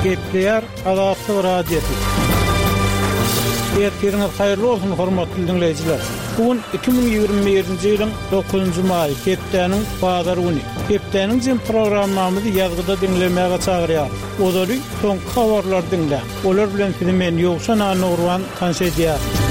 Gepleýär Azatlyk Radiosy. Ertiriňiz haýyrly bolsun, hormatly diňleýjiler! Bu gün 2021-nji ýylyň dokuzynjy maýy, hepdäniň bazar güni. Hepdäniň jem programmamyzy ýazgyda diňlemäge çagyrýarys. Ozaly soňky habarlary diňläň. Olar bilen sizi men, Ýowşan Annagurban, tanyş edýärin.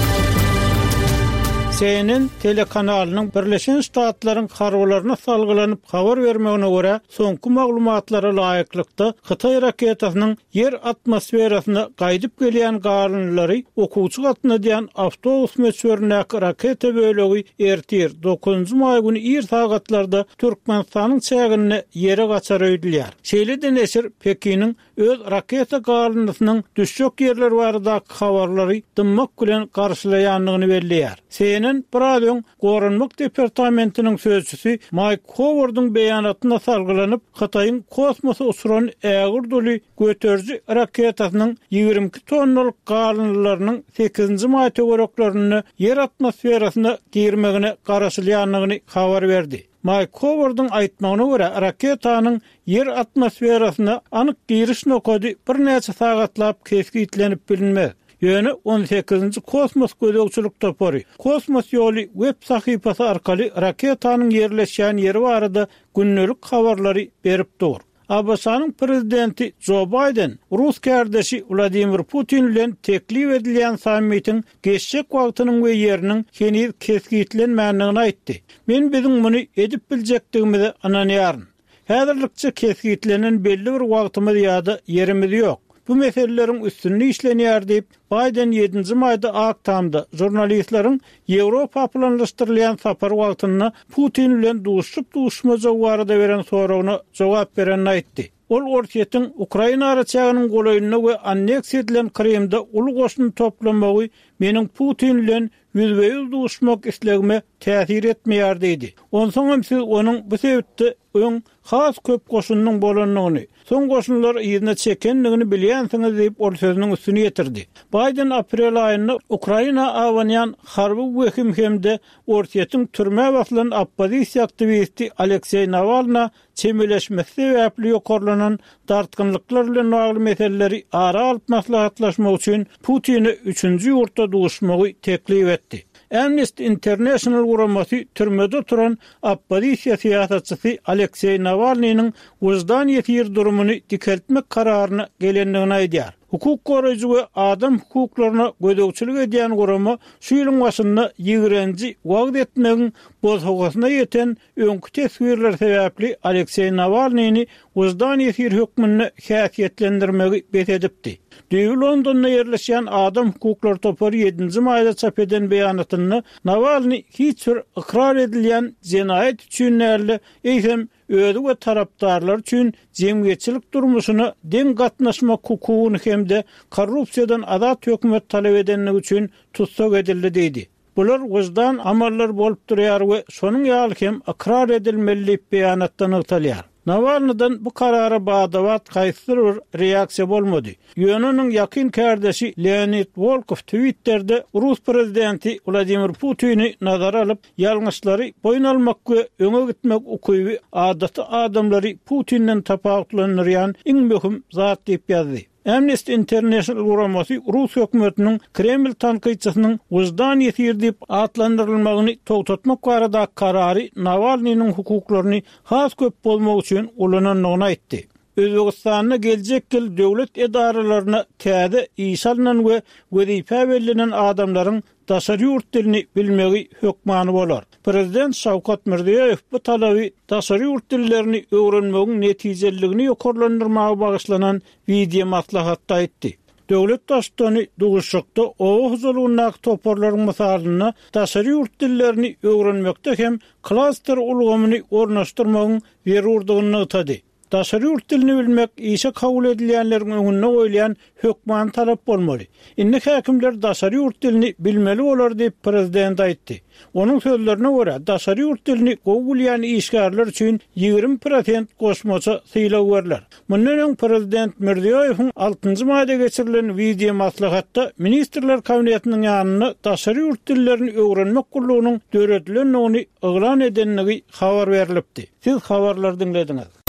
CNN telekanalynyň Birleşen Ştatlaryň harbylaryna salgylanyp habar bermegine görä, soňky maglumatlara laýyklykda, hytaý raketasynyň Ýer atmosferasyna gaýdyp gelýän galyndylary okuwçy gatnadýan awtobus möçberindäki raketa bölegi ertir, dokuzynjy maý güni ir sagatlarda Türkmenistanyň çäginde ýere gaçar öýdülýär. Şeýle-de neşir Pekiniň öz raketa galyndysynyň düşjek ýerleri baradaky habarlary dymmak bilen garşylaýandygyny belleýär. CNN biraz öň Goranmak departamentiniň sözçüsi Maýk Howardyň beýanatyna salgylanyp, Hytaýyň kosmosa uçuran ägirt uly göteriji raketasynyň 22 tonnalyk galyndylarynyň sekizinji maý töwereklerinde Ýer atmosferasyna girmegine garaşylýandygyny habar berdi. Maýk Howardyň aýtmagyna görä, raketanyň Ýer atmosferasyna anyk giriş nokady birnäçe sagatlap kesgitlenip bilinmez. Ýöne on sekizinji kosmos gözegçilik topary Kosmos ýoly web sahypasy arkaly raketanyň ýerleşýän ýeri barada gündelik habarlary berip dur. ABŞ-nyň prezidenti Jo Baýden rus kärdeşi Wladimir Putin bilen teklip edilýän sammitiň geçjek wagtynyň we ýeriniň heniz kesgitlenmändigini aýtdy. Men biziň muny edip biljekdigimize ynanýaryn. Häzirlikçe kesgitlenen belli bir wagtymyz ýa-da ýerimiz ýok. Bu meseleleriň üstünde işlenýär diýip, Baýden ýedinji maýda Ak Tamda žurnalistleriň Ýewropa planlaşdyrylýan sapary wagtynda Putin bilen duşuşyp-duşuşmajagy barada beren soragyna jogap berende aýtdy. Ol Orsýetiň Ukraina araçäginiň golaýynda we anneksiýa edilen Krymda uly goşun toplamagy meniň Putin bilen ýüzbe-ýüz duşmak islegime täsir etmeýär diýdi. Onsoňam siz onuň bu sebitde öň has köp goşunynyň bolandygyny, soň goşunlary yzyna çekendigini bilýänsiňiz diýip, ol sözüniň üstüni ýetirdi. Baýden aprel aýynda Ukraina abanýan harby wehim hem-de Orsýetiň türmä basylan oppozisiýa aktiwisti Alekseý Nawalna çemeleşmesi sebäpli ýokarlanan dartgynlyklar bilen bagly meseleleri ara alyp maslahatlaşmak üçin Putine üçünji ýurtda duşmagy teklip etdi. Amnesty International guramasy türmede oturan oppozisiýa syýasatçysy Alekseý Nawalnynyň wyždan ýesiri durumyny dikeltmek kararyna gelendigini aýdýar. Hukuk goraýjy we adam hukuklaryna gözegçilik edýän gurama şu ýylyň başynda ýigrenji wagyz etmegiň bosagasyna ýeten Öňki teswirler sebäpli Alekseý Nawalnyny wyždan ýesiri hökmünde häsiýetlendirmegi bes edipdi. Düýbi Londonda ýerleşýän adam hukuklary topary ýedinji maýda çap eden beýanatynda Nawalny hiç bir ykrar edilýän jenaýat üçin däl-de, eýsem, özi we tarapdarlary üçin jemgyýetçilik durmuşyna deň gatnaşmak hukugyny hem-de korrupsiýadan azat hökümet talap edendigi üçin tussag edildi diýdi. Bular wyždan amallary bolup durýar we şonuň ýaly hem ykrar edilmeli diýip beýanatda nygtalýar. Nawalnydan bu karara bada-bat haýsydyr bir reaksiýa bolmady. Ýöne onuň ýakyn kärdeşi Leonid Wolkow Twitterde rus prezidenti Wladimir Putini nazara alyp, ýalňyşlary boýun almak we öňe gitmek ukyby adaty adamlary Putinden tapawutlandyrýan iň möhüm zat diýip ýazdy. Amnesty International guramasy rus hökümetiniň Kreml tankytçysynyň wyždan ýesiri diýip atlandyrylmagyny togtatmak baradaky karary Nawalnynyň hukuklaryny has köp bozmak üçin ulanandygyny aýtdy. Özbegistanda geljek ýyl döwlet edaralaryna täze işe alnan we wezipä bellenen adamlaryň daşary ýurt dilini bilmegi hökmany bolar. Prezident Şawkat Mirziýoýew bu talaby daşary ýurt dillerini öwrenmegiň netijeliligini ýokarlandyrmaga bagyşlanan wideomaslahatda aýtdy. Döwlet Baştutany duşuşykda oba hojalygyndaky toparlaryň mysalynda daşary ýurt dillerini öwrenmekde hem klaster ulgamyny ornaşdyrmagyň zerurdygyny nygtady. Daşary ýurt dilini bilmek işe kabul edilýänleriň öňünde goýulýan hökmany talap bolmaly. Indi häkimler daşary ýurt dilini bilmeli bolar diýip, prezident aýtdy. Onuň sözlerine görä, daşary ýurt dilini gowy bilýän işgärler üçin 20 prosent goşmaça sylag berler. Mundan öň prezident Mirziýoýewiň altynjy maýda geçirilen wideomaslahatda Ministrler Kabinetiniň ýanynda daşary ýurt dillerini öwrenmek gullugynyň döredilendigini yglan edendigi habar berlipdi. Siz habarlary diňlediňiz.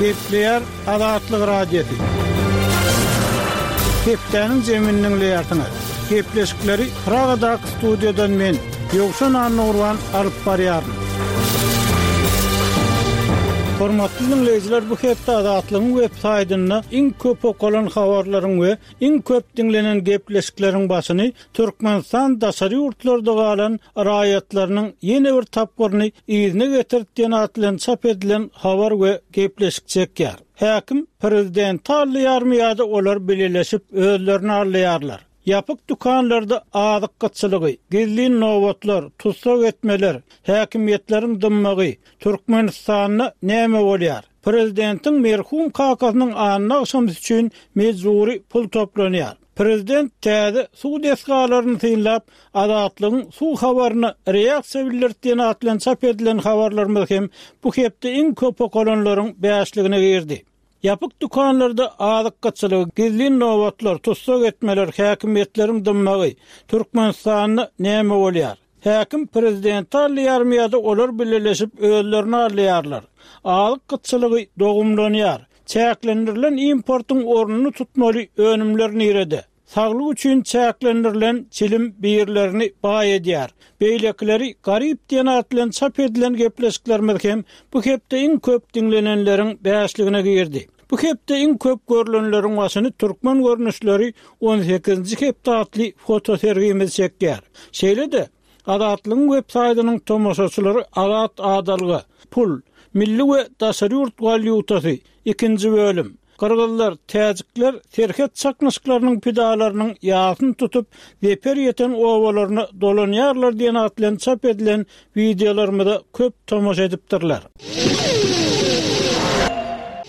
Gepleýär Azatlyk Radiosy. Hepdäniň jemini diňleýärsiňiz. Gepleşikleri Pragadaky studiýadan men, Ýowşan Annagurban alyp barýaryn. Hormatly diňleýjiler, bu hepde Azatlygyň web saýtynda iň köp okalan habarlaryň we iň köp diňlenen gepleşikleriň başyny Türkmenistan daşary ýurtlarda galan raýatlarynyň ýene bir tapgyryny yzyna getirdi diýen at bilen çap edilen habar we gepleşik çekýär. Häkim prezidenti aldaýarmy ýa-da olar bileleşip özlerini aldaýarlar? Ýapyk dükanlarda azyk gytçylygy, gizlin nobatlar, tussag etmeler, häkimiýetleriň dymmagy, Türkmenistanda näme bolýar? Prezidentiň merhum kakasynyň anna agşamsy üçin mejbury pul toplanýar. Prezident täze suw desgalaryny synlap, Azatlygyň suw habaryna reaksiýa bildirdi diýen at bilen çap edilen habarlarymyz hem bu hepde iň köp okalanlaryň bäşligine girdi. Ýapyk dükanlarda azyk gytçylygy, gizlin nobatlar, tussag etmeler, häkimiýetleriň dymmagy, Türkmenistanda näme bolýar? Häkim prezidenti aldaýarmy ýa-da olar bileleşip özlerini aldaýarlar? Azyk gytçylygy dogumlanýar. Çäklendirilen importyň ornuny tutmaly önümler nirede? Saglyk üçin çäklendirilen çilim birlerini baý edýär, beýlekileri garyp diýen at bilen çap edilen gepleşiklerimiz hem bu hepde iň köp diňlenenleriň bäşligine girdi. Bu hepde iň köp görlenleriň başyny Türkmen görnüşleri on sekizinji hepde atly fotosergimiz çekýär. Şeýle-de, Azatlygyň web saýtynyň tomaşaçylary Azat adalga, Pul, milli we daşary ýurt walýutasy, ikinji bölüm, Gyrgyzlar, täjikler serhet çaknyşyklarynyň pidalarynyň ýasyny tutup, zeper ýeten obalaryna dolanýarlar diýen at bilen çap edilen wideolarymyza köp tomaşa edipdirler.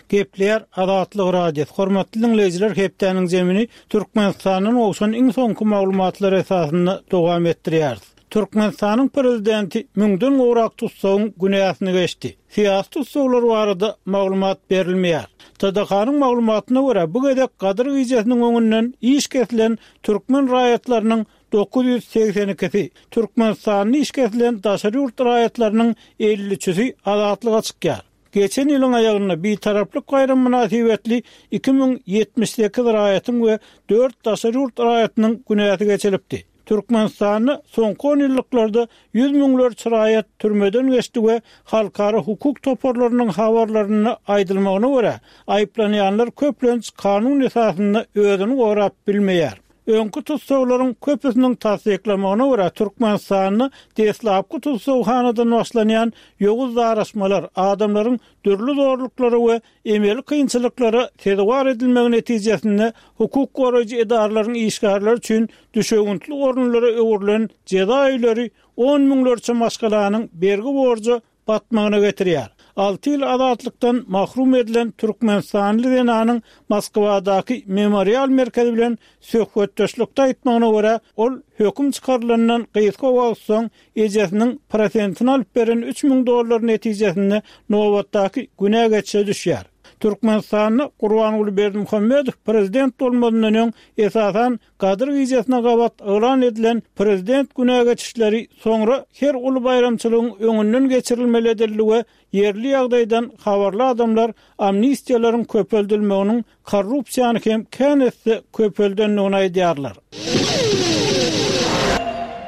Gepleýär Azatlyk Radiosy. Hormatly diňleýjiler, hepdäniň jemini Türkmenistandan gowşan iň soňky maglumatlar esasynda dowam etdirýäris. Türkmenistanyň prezidenti müňden gowrak tussagyň günäsini geçdi. Syýasy tussaglar barada maglumat berilmeýär. TDH-nyň maglumatyna görä, bu gezek Gadyr gijesiniň öňünden iş kesilen türkmen raýatlarynyň 982-si, Türkmenistanda iş kesilen daşary ýurt raýatlarynyň 53-üsi azatlyga çykýar. Geçen ýylyň aýagynda Bitaraplyk baýramy mynasybetli 2078 raýatyň we dört daşary ýurt raýatynyň günäsi geçilipdi. Türkmenistanda soňky onýyllyklarda ýüz müňlerçe raýat türmeden geçdi we halkara hukuk toparlarynyň habarlarynda aýdylmagyna görä, aýyplanýanlar köplenç kanun esasynda özüni gorap bilmeýär. Öňki tussaglaryň köpüsiniň tassyklamagyna görä, Türkmenistanda deslapky tussaghanadan başlanýan ýowuz daraşmalar, adamlaryň dürli zorluklara we emeli kynçylyklara sezewar edilmegi netijesinde hukuk goraýjy edaralaryň işgärleri üçin düşewüntli orunlara öwrülen jeza öýleri on müňlerçe maşgalanyň bergi-borja batmagyna getirýär. Alty ýyl azatlykdan mahrum edilen türkmenistanly zenanyň Moskwadaky Memorial merkezi bilen söhbetdeşlikde aýtmagyna görä, ol höküm çykarylandan gysga wagt soň ejesiniň prosentini alyp beren 3000 dollar netijesinde nobatdaky günä geçişe düşýär. Türkmenistanda Gurbanguly Berdimuhamedow prezident bolmazyndan öň esasan Gadyr gijesine gabat yglan edilen prezident günä geçişleri soňra her uly baýramçylygyň öňünden geçirilmeli edildi we ýerli ýagdaýdan habarly adamlar amnistiýalaryň köpeldilmeginiň korrupsiýany hem kän esse köpeldendigini aýdýarlar.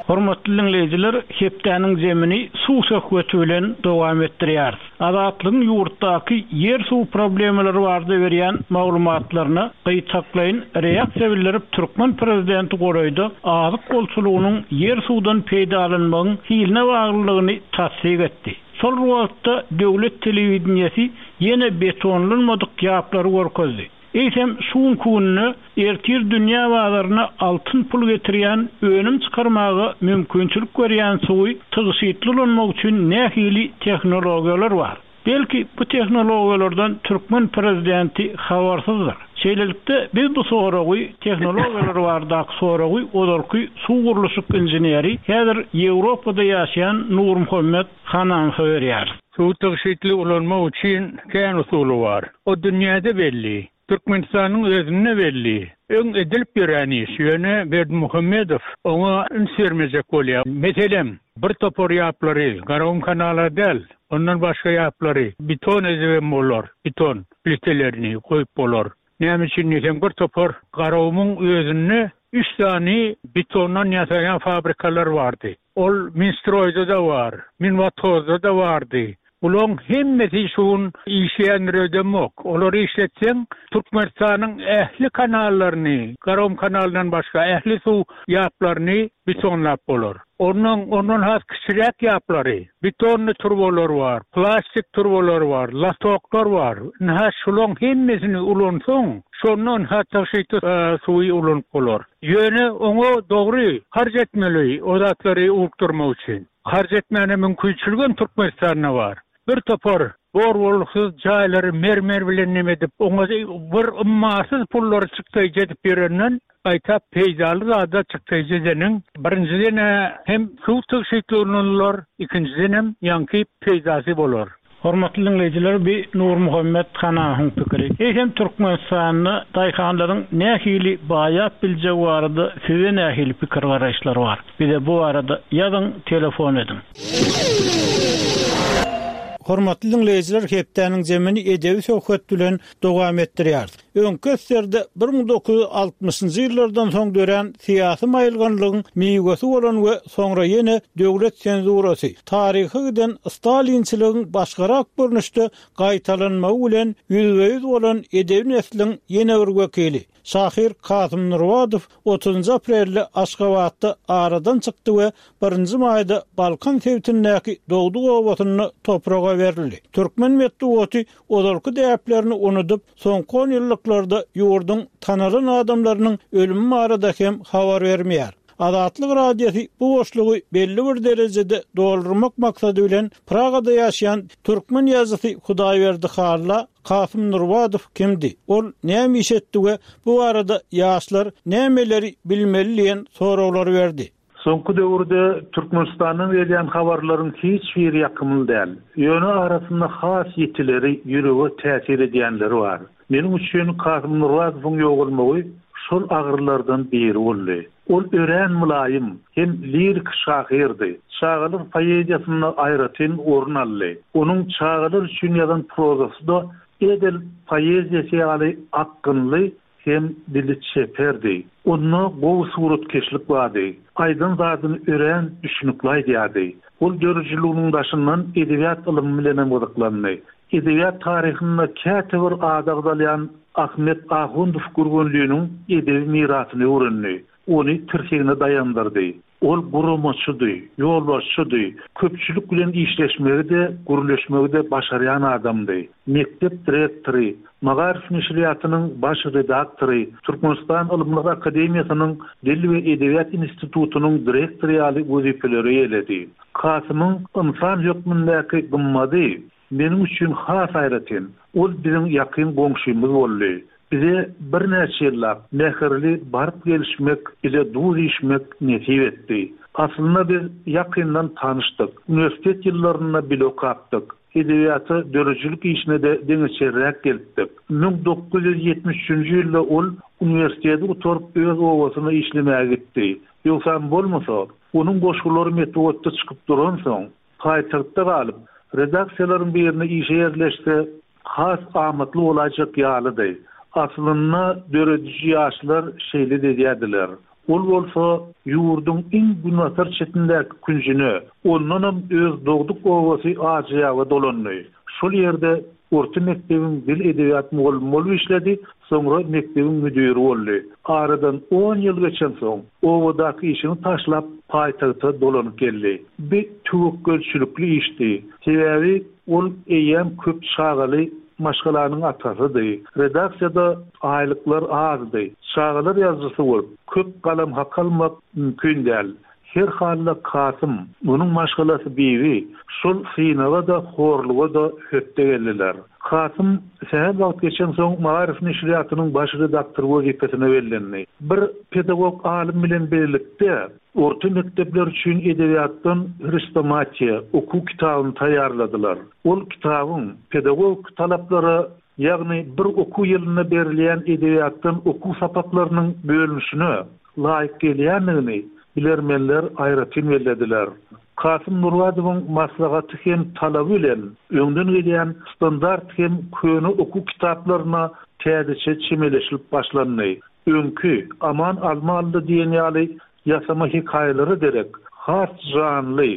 Hormatly diňleýjiler, hepdäniň zemini suw söhbeti bilen dowam etdirýäris. Azatlygyň ýurtdaky ýer-suw problemalary barada berýän maglumatlaryna gytaklaýyn reaksiýa bildirip, türkmen prezidenti golaýda azyk bolçulygynyň ýer-suwdan peýdalanmagyň hiline baglylygyny tassyk etdi. Şol bir wagtda döwlet telewideniýesi ýene betonlanmadyk ýaplary görkezdi. Eýsem, şu günki günde ertir dünýä bazaryna altyn pul getirýän önüm çykarmaga mümkinçilik berýän suwy tygşytly ulanmak üçin nähili tehnologiýalar bar? Belki, bu tehnologiýalardan türkmen prezidenti habarsyzdyr. Şeýlelikde, biz bu soragy, tehnologiýalar baradaky soragy ozalky suw gurluşyk inženeri, häzir Ýewropada ýaşaýan Nurmuhammet Hananowa berýäris. Suwy tygşytly ulanmak üçin kän usuly bar. O dünýäde belli. Türkmenistanyň özünde belli. Öň edilip ýören iş, ýöne Berdimuhamedow oňa üns bermejek bolýar. Meselem, bir topar ýaplary, Garagum kanala däl. Ondan başga ýaplary beton edibem bolar, beton plitelerini goýup bolar. Näme üçin diýseň, bir topar Garagumuň özünde üç sany betondan ýasaýan fabrikalar bardy. Ol Minstroýda-da bar, Minwodhozda-da bardy. Bulaň hemmesi şu gün işleýändir öýdemok. Olary işletseň, Türkmenistanyň ähli kanallaryny, Garagum kanalyndan başga ähli suw ýaplaryny betonlap bolar. Ondan, ondan has kiçiräk ýaplary, betonny turbalar bar, plastik turbalar bar, latoklar bar. Ynha şulaň hemmesini ulansaň, şonda ynha tygşytly suwy ulanyp bolar. Ýöne oňa dogry harç etmeli o zatlary ukdurmak üçin. Harç etmäne mümkinçiligem Türkmenistanda bar. Bir topar bor-bolgusyz jaýlary mermer bilen neme edip, oňa bir ummasyz pullary çykdaýjy edip ýörenden, gaýta peýdaly zada çykdaýjy edeniň, birinjiden-ä hem suw tygşytly ulanylar, ikinjidenem ýaňky peýdasy bolar. Hormatly diňleýjiler bi Nurmuhammet Hanahyň pikiri. Eýsem Türkmenistanda daýhanlaryň nähili baýap biljegi barada size nähili pikir garaýyşlar bar? Bize bu barada ýazyň telefon ediň. Hormatly diňleýjiler hepdäniň jemini edebi söhbet bilen dowam etdirýäris. Öňki SSR-de 1960-njy ýyllardan soň dörän syýasy maýylganlygyň miwesi bolan we soňra ýene döwlet senzurasy, taryha giden stalinçiligiň başgarak görnüşde gaýtalanmagy bilen ýüzbe-ýüz bolan edebi nesliň ýene bir wekili, şahyr Kasym Nurbadow otuzynjy aprelde Aşgabatda aradan çykdy we birinji maýda Balkan sebitindäki dogduk obasynda topraga berildi. Türkmen metbugaty ozalky däplerini unudyp, soňky onýyllyklarda ýurduň tanalan adamlarynyň ölümi barada hem habar bermeýär. Azatlyk Radiosy bu boşlugy belli bir derejede doldurmak maksady bilen Pragada ýaşaýan türkmen ýazyjysy Hudaýberdi Halla Kasym Nurbadow kimdi, ol näme iş etdi we bu barada ýaşlar nämeleri bilmeli diýen soraglary berdi. Soňky döwürde Türkmenistandan gelýän habarlaryň hiç biri ýakymly däl. Ýöne arasynda has ýitileri, ýürege täsir edýänleri bar. Meniň üçin Kasym Nurbadowyň ýogalmagy şol agyrylardan biri boldy. Ol örän mylaýym hem lirik şahyrdy. Çagalar poeziýasynda aýratyn orun aldy. Onuň çagalar üçin ýazan prozasy-da edil poeziýasy ýaly akgynly Hem dili çeperdi. Onda gowy suratkeşlik bardy. Aýdan zadyny örän düşnükli aýdýardy. Ol döredijiliginiň daşyndan edebiýat ylymy bilenem gyzyklandy. Edebiýat taryhynda käte bir ady agzalýan Ahmet Ahundow Gürgenliniň edebi mirasyny öwrendi. Ony tirsegine daýandyrdy. Ol guramaçydy, ýolbaşçydy, köpçülik bilen işleşmegi-de, gürleşmegi-de başarýan adamdy. Mekdep direktory, Magaryf neşirýatynyň baş redaktory, Türkmenistan Ylymlar akademiýasynyň Dil we edebiýat institutynyň direktory ýaly wezipeleri eýeledi. Kasymyň ynsan hökmündäki gymmady Meniň üçin has aýratyn, ol biziň ýakyn goňşymyz boldy. Bize birnäçe ýyllap mähirli baryp-gelişmek, bile duz iýişmek nesip etdi. Aslynda biz ýakyndan tanyşdyk. Uniwersitet ýyllarynda bile okapdyk. Edebiýata, döredijilik işine-de deňeçerräk gelipdik. 1973-nji ýylda ol uniwersiteti gutaryp öz obasyna işlemäge gitdi. Ýogsam bolmasa, onuň goşgulary metbugatda çykyp duransoň, Paýtagtda galyp, redaksiýalaryň birine işe ýerleşse, has amatly bolaýjak ýalydy. Aslynda, dörediji ýaşlar şeýle-de edýärdiler. Ol bolsa ýurduň iň günbatar çetindäki künjüne, ondanam öz dogduk obasy Ajyýaba dolandy. Şol ýerde orta mekdebiň dil-edebiýat mugallymy bolup işledi, soňra mekdebiň müdiri boldy. Aradan on ýyl geçensoň, obadaky işini taşlap, paýtagta dolanyp geldi. Bi töwekgelçilikli işdi. Sebäbi ol eýýäm köp çagaly maşgalanyň atasydy. Redaksiýada aýlyklar azdy. Çagalar ýazyjysy bolup, köp galam haky almak mümkin däl. Her halda Kasym, onuň maşgalasy Bibi şol synaga-da, horluga-da hötde geldiler. Kasym sähel wagt geçensoň Magaryf neşirýatynyň baş redaktory wezipesine bellendi. Bir pedagog alym bilen birlikde orta mekdepler üçin edebiýatdan hrestomatiýa okuw kitabyny taýýarladylar. Ol kitabyň pedagogik talaplara ýagny bir okuw ýylynda berilýän edebiýatdan okuw sapaklarynyň bölünişine laýyk gelýändigini bilermenler aýratyn bellediler. Kasym Nurbadowyň maslahaty hem talaby bilen öňden gelýän standart hem köne okuw kitaplaryna täzeçe çemeleşilip başlandy. Öňki Aman alma aldy diýen ýaly ýasama hekaýalara derek, has janly,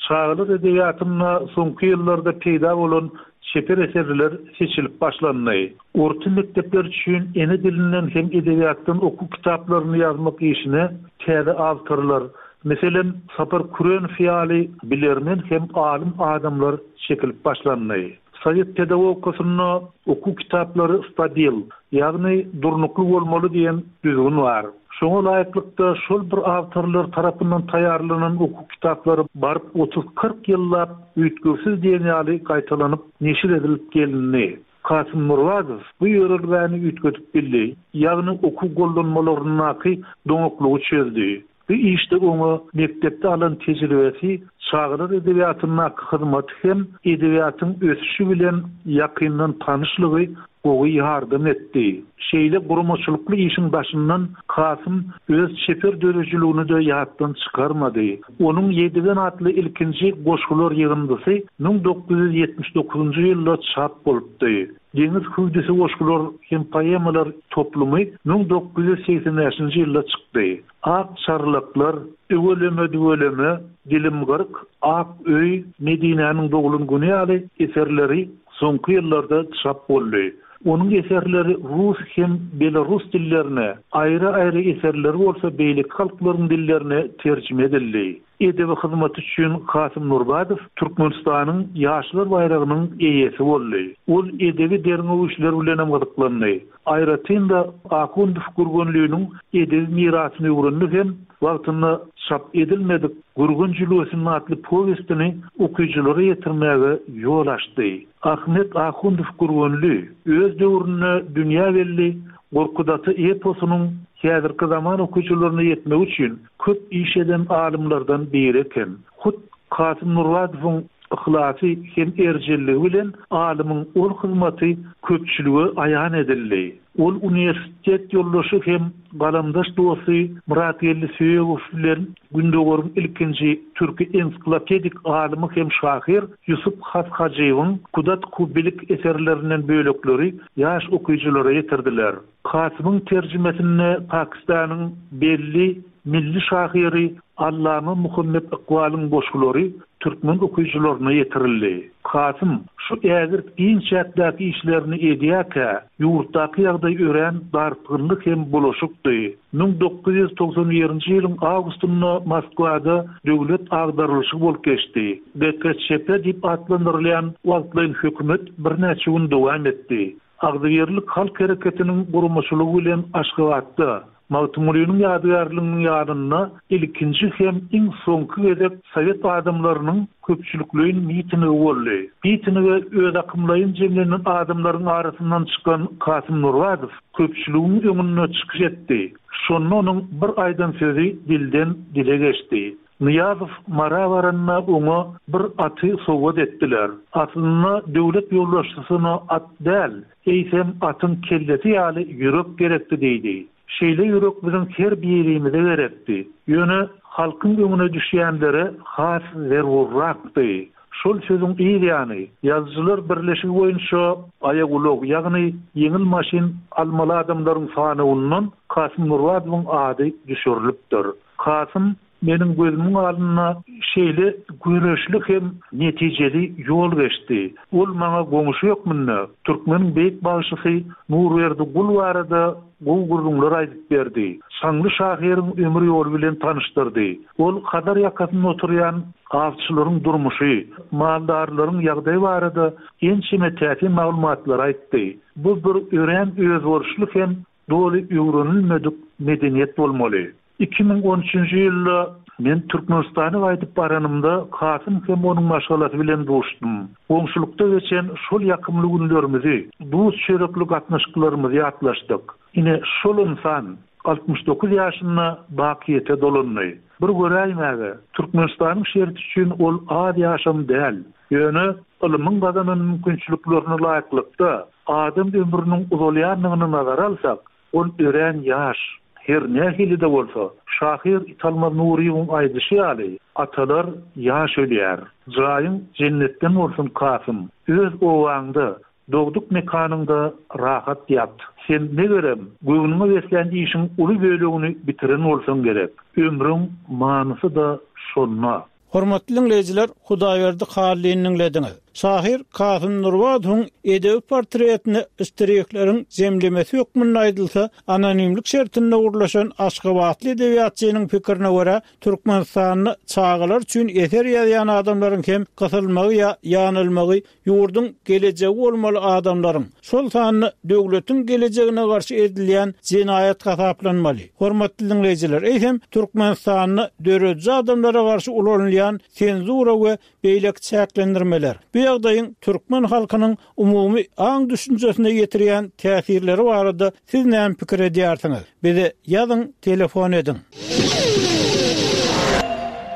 çagalar edebiýatynda soňky ýyllarda peýda bolan çeper eserler seçilip başlandy. Orta mekdepler üçin ene dilinden hem edebiýatdan okuw kitaplaryny ýazmak işine täze awtorlar, meselem, Sapar Kürenow ýaly bilermen hem alym adamlar çekilip başlandy. Sowet pedagogikasynda okuw kitaplary stabil, ýagny durnukly bolmaly diýen düzgün bar. Şoňa laýyklykda şol bir awtorlar tarapyndan taýýarlanan okuw kitaplary baryp otuz-kyrk ýyllap üýtgewsiz diýen ýaly gaýtalanyp neşir edilip gelindi. Kasym Nurbazow bu ýörelgäni üýtgedip bildi, ýagny okuw gollanmalaryndaky doňaklygy çözdi. Bu işde oňa mekdepde alan tejribesi, çagalar edebiýatyndaky hyzmaty hem edebiýatyň ösüşi bilen ýakyndan tanyşlygy gowy ýardam etdi. Şeýle guramaçylykly işiň daşyndan Kasym öz çeper döredijiligini-de ýatdan çykarmady. Onuň Ýedigen atly ilkinji goşgular ýygyndysy 1979-njy ýylda çap bolupdy. Deňiz hüwdüsi goşgular hem poemalar toplumy 1985-nji ýylda çykdy. Ak çarlaklar, Üweleme-düweleme, Dilim gyrk, Ak öý, Medinäniň doglan güni ýaly eserleri soňky ýyllarda çap boldy. Onuň eserleri rus hem belarus dillerine, aýry-aýry eserleri bolsa beýleki halklaryň dillerine terjime edildi. Edebi hyzmaty üçin Kasym Nurbadow Türkmenistanyň Ýaşlar baýragynyň eýesi boldy. Ol edebi derňew işleri bilenem gyzyklandy. Aýratyn-da, Ahundow Gürgenliniň edebi mirasyny öwrendi hem wagtynda çap edilmedik Gürgen jülgesinde atly powestini okyjylara ýetirmäge ýol açdy. Ahmet Ahundow Gürgenli öz döwründe dünýä belli Gorkut ata eposynyň häzirki zaman okyjylaryna ýetmegi üçin köp iş eden alymlardan biri eken. Hut Kasym Nurbadowyň yhlasy hem erjelligi bilen alymyň ol hyzmaty köpçülige aýan edildi. Ol uniwersitet ýoldaşy hem galamdaş dosty Myratgeldi Söýegow bilen Gündogaryň ilkinji türki ensiklopedik alymy hem şahyr Ýusup Has Hajybyň Kudat-ku Bilik eserlerinden bölekleri ýaş okyjylara ýetirdiler. Kasymyň terjimesinde Pakistanyň belli milli şahyry Allama Muhammet Ykbalyň goşgulary türkmen okyjylaryna ýetirildi. Kasym şu ägirt giň çäkdäki işlerini edýärkä, ýurtdaky ýagdaý örän dartgynly hem bulaşykdy. 1991-nji ýylyň awgustynda Moskwada döwlet agdarylyşygy bolup geçdi. GKÇP diýip atlandyrylýan wagtlaýyn hökümet birnäçe gün dowam etdi. Agzybirlik halk hereketiniň guramaçylygy bilen Aşgabatda, Magtymgulynyň ýadygärliginiň ýanynda ilkinji hem iň soňky gezek sowet adamlarynyň köpçülikleýin mitingi boldy. Mitinge özakymlaýyn jemlenen adamlaryň arasyndan çykan Kasym Nurbadow köpçüligiň öňünde çykyş etdi. Şonda onuň bir aýdan sözi dilden dile geçdi. Nyýazow Mara baranda oňa bir aty sowgat etdiler. Aslynda döwlet ýolbaşçysyna at däl, eýsem atyň kellesi ýaly ýürek gerekdi diýdi. Şeýle ýürek biziň her birimize gerekdi. Ýöne halkyň öňüne düşýänlere has zerurrakdy. Şol sözüň yz ýany, Ýazyjylar birleşigi boýunça aýagulag, ýagny ýeňil maşyn almaly adamlaryň sanawyndan Kasym Nurbadowyň ady düşürilipdir. Kasym meniň gözümiň alnynda şeýle göreşli hem netijeli ýol geçdi. Ol maňa goňşy hökmünde türkmeniň beýik bagşysy Nurberdi Gul barada gowy gürrüňler aýdyp berdi. Çaňly şahyryň ömür ýoly bilen tanyşdyrdy. Ol Hazar ýakasynda oturýan awçylaryň durmuşy, maldarlaryň ýagdaýy barada ençeme täsin maglumatlary aýtdy. Bu bir örän özboluşly hem doly öwrenilmedik medeniýet bolmaly. 2013-nji ýylda men Türkmenistana gaýdyp baranymda Kasym hem onuň maşgalasy bilen duşdum. Goňşulykda geçen şol ýakymly günlerimizi, duz-çörekli gatnaşyklarymyzy ýatlaşdyk. Ine, şol ynsan 69 ýaşynda bakyýete dolandy. Bir göräýmäge, Türkmenistanyň şerti üçin ol az ýaşam däl. Ýöne ylmyň gazanan mümkinçiliklerine laýyklykda, adam ömrüniň uzalýandygyny nazara alsak, ol örän ýaş. Her nähili-de bolsa, şahyr Italmaz Nuryýewiň aýdyşy ýaly, atalar ýaş ölýär. Jaýyň jennetden bolsun, Kasym! Öz obaňda, dogduk mekanyňda rahat ýat. Sen, megerem, göwnüňe beslän işiň uly bölegini bitiren bolsaň gerek. Ömrüň manysy-da şonda. Hormatly diňleýjiler, Hudaýberdi Hallyny diňlediňiz. Şahyr Kasym Nurbadowyň edebi portretini ştrihleriň jemlemesi hökmünde aýdylsa, anonimlik şertinde gürleşen aşgabatly edebiýatçynyň pikirine görä, Türkmenistanda çagalar üçin eser ýazýan adamlaryň hem gysylmagy ýa ýanylmagy ýurduň gelejegi bolmaly adamlaryň, şol sanda döwletiň gelejegine garşy edilýän jenaýat hasaplanmaly. Hormatly diňleýjiler, eýsem, Türkmenistanda dörediji adamlara garşy ulanylýan senzura we beýleki çäklendirmeler, bu ýagdaýyň türkmen halkynyň umumy aň-düşünjesine ýetirýän täsirleri barada siz näme pikir edýärsiňiz? Bize ýazyň, telefon ediň.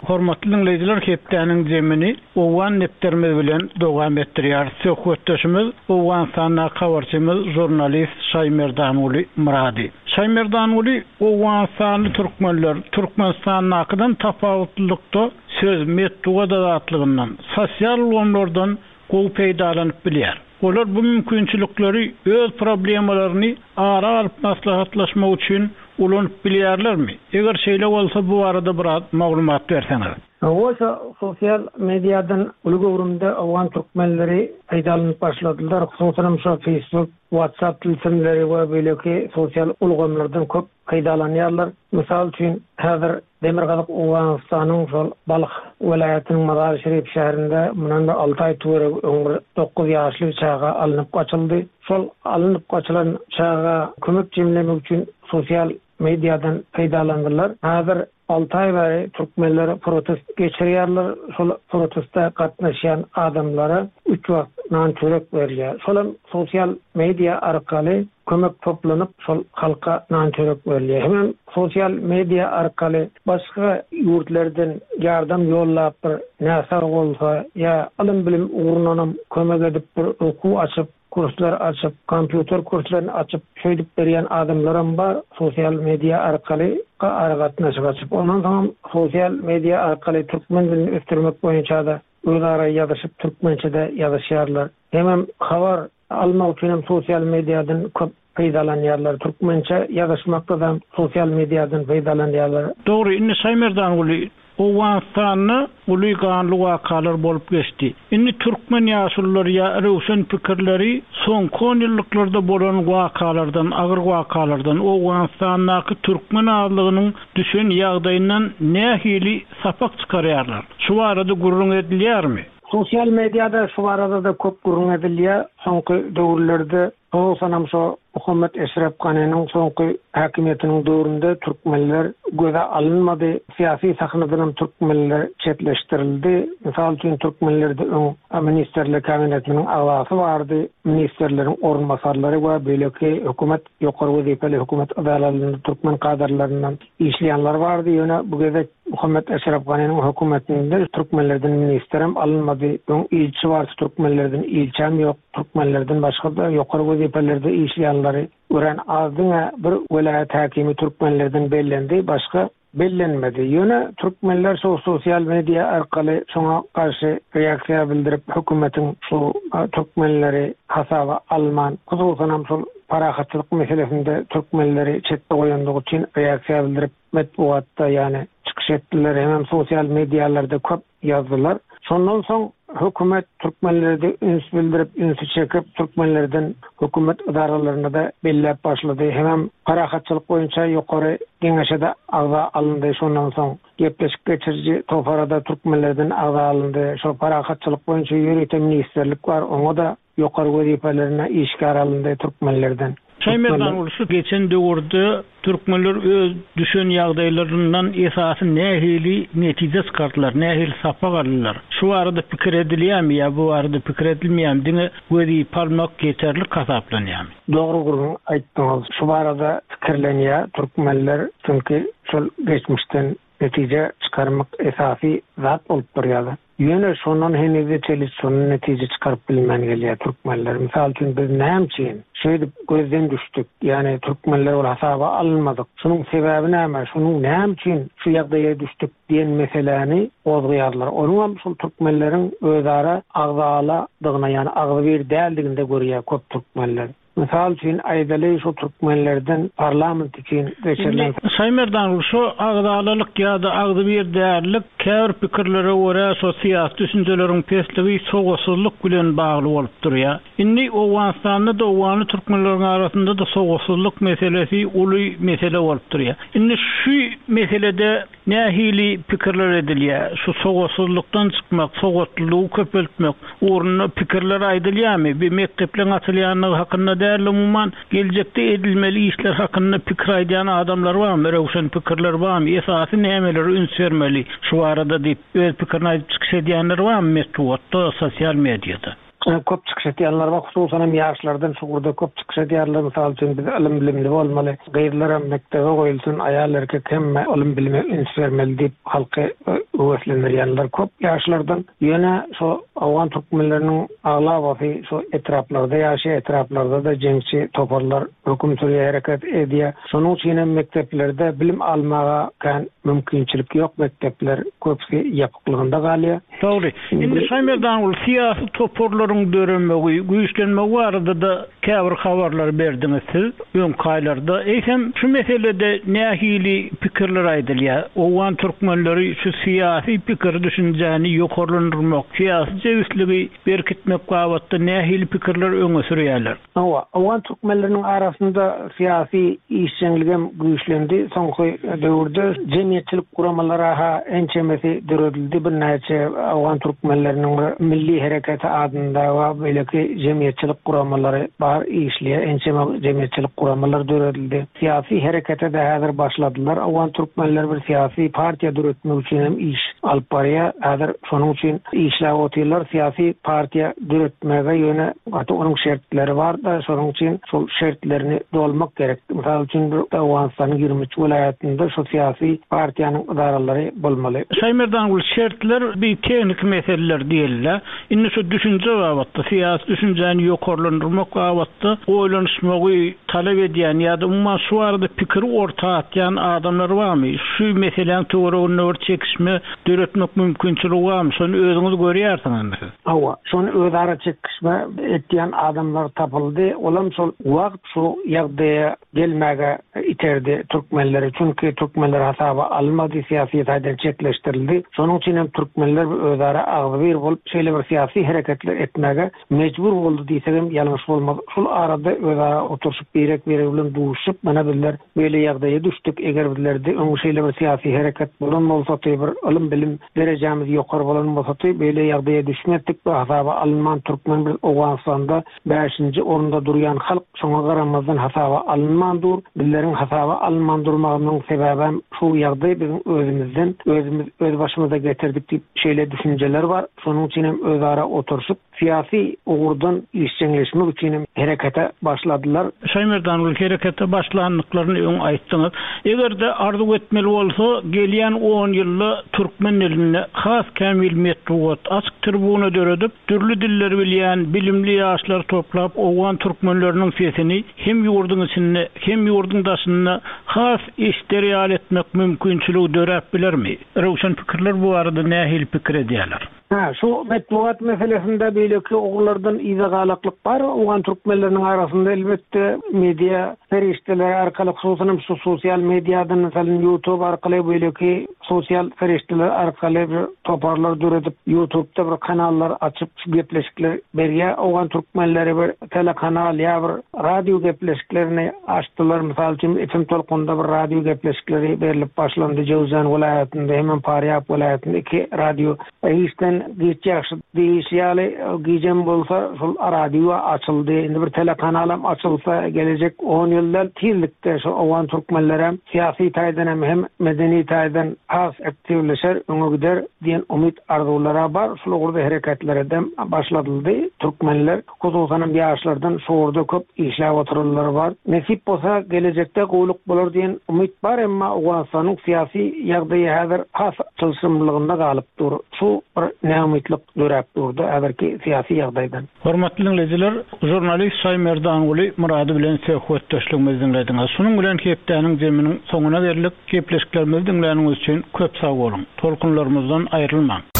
Hormatly diňleýjiler hepdäniň zemini Owgan depderimiz bilen dowam etdirýäris. Söhbetdeşimiz Owganystandaky habarçymyz žurnalist Şaýmerdanguly Myrady. Şaýmerdanguly Owganystanly türkmenler Türkmenistandakydan tapawutlylykda söz, metbugat azatlygyndan, sosial ulgamlardan gowy peýdalanyp bilýär. Olar bu mümkinçilikleri öz problemalaryny ara alyp maslahatlaşmak üçin ulanyp bilýärlermi? Eger şeýle bolsa bu barada biraz maglumat berseňiz. Hawa, şo sosial mediadan uly göwrümde owgan türkmenleri peýdalanyp başladylar. Hususanam şo Facebook, WhatsApp tilsimleri we beýleki sosial ulgamlardan köp peýdalanýarlar. Mysal üçin, häzir Demirgazyk Owganystanyň şol Balh welaýatynyň Mazar-i-Şerif şäherinde mundan bir alty aý töweregi öň bir dokuz ýaşly bir çaga alnyp gaçyldy. Şol alnyp gaçylan çaga kömek jemlemek üçin sosial mediadan peýdalandylar. Häzir alty aý bäri türkmenler protest geçirýärler. Şol proteste gatnaşýan adamlara üç wagt nan-çörek berilýär. Şolam sosial media arkaly kömek toplanyp, şol halka nan-çörek berilýär. Hemem sosial media arkaly başga ýurtlardan ýardam ýollap bir näsag bolsa ýa ylym-bilim ugrundanam kömek edip bir okuw açyp, kurslar açyp, kompýuter kurslaryny açyp şeýdip berýän adamlaram bar sosial media arkaly aragatnaşyk açyp. Ondan soňam sosial media arkaly türkmen dilini ösdürmek boýunça-da özara ýazyşyp türkmençe-de ýazyşýarlar. Hemem habar Almak üçin hem sosial mediadan köp peýdalanýarlar. Türkmençe ýazyşmakda-da sosial mediadan peýdalanýarlar. Dogry, indi Şaýmerdanguly, Owganystanda uly ganly wakalar bolup geçdi. Indi türkmen ýaşululary ýa röwşen pikirleri soňky onýyllyklarda bolan wakalardan, agyr wakalardan, Owganystandaky türkmen azlygynyň düşen ýagdaýyndan nähili sapak çykarýarlar? Şu barada gürrüň edilýärmi? Sosial mediada şu barada-da köp gürrüň edilýär. Soňky döwürlerde, hususanam şo Muhammet Eşrep Ganynyň soňky häkimiýetiniň döwründe türkmenler göze alynmady. Syýasy sahnadanam türkmenler çetleşdirildi. Mysal üçin, türkmenlerde öň Ministrler Kabinetiniň agzasy bardy, ministrleriň orunbasarlary we beýleki hökümet ýokary wezipeli hökümet edaralarynda türkmen kadrlaryndan işleýänler bardy. Ýöne bu gezek Muhammet Eşref Ganynyň hökümetinde türkmenlerden ministrem alynmady. Öň ilçi bardy türkmenlerden ilçäm ýok. Türkmenlerden başga-da ýokary wezipelerde işleýänleri örän az diňe bir welaýat häkimi türkmenlerden bellendi başga bellenmedi. Ýöne türkmenler şo sosial media arkaly şoňa garşy reaksiýa bildirip hökümetiň şu türkmenleri hasaba alman hususanam şol parahatçylyk meselesinde türkmenleri çetde goýandygy üçin reaksiýa bildirip metbugatda ýany çykyş etdiler hemem sosial medialarda köp ýazdylar. Şondan soň hökümet türkmenlerde üns bildirip ünsi çekip türkmenlerden hökümet ydaralaryna-da belläp başlady hemem parahatçylyk boýunça ýokary geňeşe-de agza alyndy şondan soň gepleşik geçiriji toparada türkmenlerden agza alyndy şo parahatçylyk boýunça ýörite ministrlik bar oňa-da Ýokary wezipelerine işgär alyndy türkmenlerden. Şaýmerdan şu geçen döwürde türkmenler öz düşen ýagdaýlaryndan esasy nähili netije çykardylar, nähili sapak aldylar? Şu barada pikir edilýärmi ýa bu barada pikir edilmeýärmi, diňe wezipe almak ýeterlik hasaplanýarmy? Dogry gürrüň aýtdyňyz. Şu barada pikirlenýär türkmenler, çünki şol geçmişden. netije çykarmak esasy zat bolup durýar. Ýöne şondan henize çenli şondan netije çykaryp bilmän gelýär türkmenler. Mysal üçin biz näme üçin şeýdip gözden düşdük? Ýagny türkmenler ol hasaba alynmadyk. Şunuň sebäbi näme? Şunuň näme üçin şu ýagdaýa düşdük diýen meseläni gozgaýarlar. Onuňam şol türkmenleriň özara agzaladygyna ýagny agzybir däldiginde görýär köp türkmenler. Mysal üçin aýdaly şu türkmenlerden parlament üçin geçirilen. Indi Şaýmerdan şu agzalalyk ýa-da agzybir dällik käbir pikirlere görä şo syýasy düşünjeleriň pesligi sowatsyzlyk bilen bagly bolup durýar. Indi Owganystanda-da owganly türkmenleriň arasynda-da sowatsyzlyk meselesi uly mesele bolup durýar. Indi şu meselede Nähili pikirler edilýär? Şu sowatsyzlykdan çykmak, sowatlylygy köpeltmek ugrunda pikirler aýdylýarmy? Bir mekdepleriň açylýandygy hakynda däl-de, umuman, geljekde edilmeli işler hakynda pikir aýdýan adamlar barmy? Röwşen pikirler barmy? Esasy nämelere üns bermeli şu barada diýip, öz pikirini aýdyp çykyş edýänler barmy metbugatda, sosial mediada? Köp çykyş edýänler bar, hususan hem ýaşlardan şu ugurda köp çykyş edýärler. Mysal üçin, biz ylym-bilimli bolmaly, gyzlaram mekdebe goýulsyn, aýal-erkek hemme ylym-bilime üns bermeli diýip halky höweslendirýänler köp ýaşlardan. Ýöne şu owgan türkmenleriniň aglabasy şu etraplarda ýaşaýar, etraplarda-da jeňçi toparlar höküm sürýär, hereket edýär. Şonuň üçin hem mekdeplerde bilim almaga kän mümkinçilik ýok, mekdepler köpüsi ýapyklygynda galýar. Dogry. Indi Şaýmerdanguly syýasy toparlaryň döremegi, güýçlenmegi barada-da käbir habarlary berdiňiz siz öňki aýlarda. Eýsem, şu meselede nähili pikirler aýdylýar? Owgan türkmenleri şu syýasy pikir-düşünjäni ýokarlandyrmak, syýasy jebisligi berkitmek babatda nähili pikirler öňe sürýärler? Hawa, owgan türkmenleriniň arasynda syýasy işjeňligem güýçlendi. Soňky döwürde jemgyýetçilik guramalary-ha ençemesi döredildi. Birnäçe owgan türkmenleriniň bir Milli hereketi adynda we beýleki jemgyýetçilik guramalary bar, işleýär. Ençeme jemgyýetçilik guramalary döredildi. Syýasy herekete-de häzir başladylar. Owgan türkmenleri bir syýasy partiýa döretmek üçin hem iş alyp barýar. Häzir şonuň üçin işläp otyrlar. Syýasy partiýa döretmäge ýöne Gaty onuň şertleri bar-da, şonuň üçin şol şertlerini dolmak gerek. Mysal üçin, bir Owganystanyň 23 welaýatynda şu syýasy partiýanyň ydaralary bolmaly. Şaýmerdanguly, şertler bir tehniki meseleler diýeli-dä. Indi şu düşünje babatda, syýasy düşünjäni ýokarlandyrmak babatda oýlanyşmagy talap edýän ýa-da umuman şu barada pikiri orta atýan adamlar barmy? Şu meseläň töwereginde bir çekişme döretmek mümkinçiligi barmy? Şony özüňiz görýärsiňizmi siz? Hawa, şony özara çekişme etýän adamlar tapyldy. Olam şol wagt şu ýagdaýa gelmäge iterdi türkmenleri. Çünki türkmenler hasaba alynmady, syýasy taýdan çetleşdirildi. Şonuň üçin hem türkmenler özara agzybir bolup, şeýle bir syýasy hereketler etmäge mejbur boldy diýsegem ýalňyş bolmaz. Şul arada özara oturyşyp, birek-biregi bilen duşuşyp, mana bizler beýle ýagdaýa düşdük, eger bizlerde öň şeýle bir syýasy hereket bolan bolsady, bir ylym-bilim Derejämiz ýokary bolan bolsady, beýle ýagdaýa düşmezdik we hasaba alynman türkmen biz Owganystanda bäşinji orunda durýan halk, şoňa garamazdan hasaba alynman dur. Bizleriň hasaba alynman durmagymyzyň sebäbem şu ýagdaý biziň özümizden, özümiz öz başymyza getirdik diýip şeýle düşünjeler bar. Şonuň üçinem özara oturyşyp, Syýasy ugurdan işjeňleşmek üçin hem herekete başladylar. Şaýmerdan gül herekete başlandyklaryny öň aýtdyňyz. Eger-de arzuw etmeli bolsa, gelýän on ýylda türkmen dilinde has kämil metbugat, açyk tribuna döredip, dürli dilleri bilýän bilimli ýaşlary toplap owgan türkmenleriniň sesini hem ýurduň içinde, hem ýurduň daşynda has eşder ýaly etmek mümkinçiligi döräp bilermi? Röwşen pikirler bu barada nähili pikir edýärler? Hä, şu metbugat meselesinde beýleki ugurlardan yza galaklyk bar. Owgan türkmenleriniň arasynda elbetde media serişdeleri arkaly, hususan hem şu sosial mediadan, meselem, YouTube arkaly, beýleki sosial serişdeler arkaly bir toparlar döredip, YouTubda bir kanallar açyp, şu gepleşikler berýär. Owgan türkmenleri bir telekanal ýa bir radio gepleşiklerini açdylar. Mysal üçin, FM tolkunynda bir radio gepleşikleri berlip başlandy. Jöwzjan welaýatynda hemem Farýab welaýatynda iki radio Işden. Giç ýagşy diýlişi ýaly, gijem bolsa şol radio açyldy. Indi bir telekanalam açylsa, gelejek on ýylda tizlikde şu owgan türkmenlerem syýasy taýdan hem, hem medeni taýdan has aktiwleşer, öňe gider diýen umyt arzuwlara bar. Şul ugurda hereketleredem başladyldy. Türkmenler, hususanam ýaşlardan şu ugurda köp işläp oturanlar bar. Nesip bolsa, gelejekde gowulyk bolar diýen umyt bar, emma Owganystanyň syýasy ýagdaýy häzir has çylşyrymlylygynda galyp dur. Şu bir näumytlyk döräp durda häzirki syýasy ýagdaýdan. Hormatly diňleýjiler, žurnalist Şaýmerdanguly Myrady bilen söhbetdeşligimizi diňlediňiz. Şunuň bilen hepdäniň jeminiň soňuna geldik. Gepleşiklerimizi diňläniňiz üçin köp sag boluň! Tolkunlarymyzdan aýrylmaň!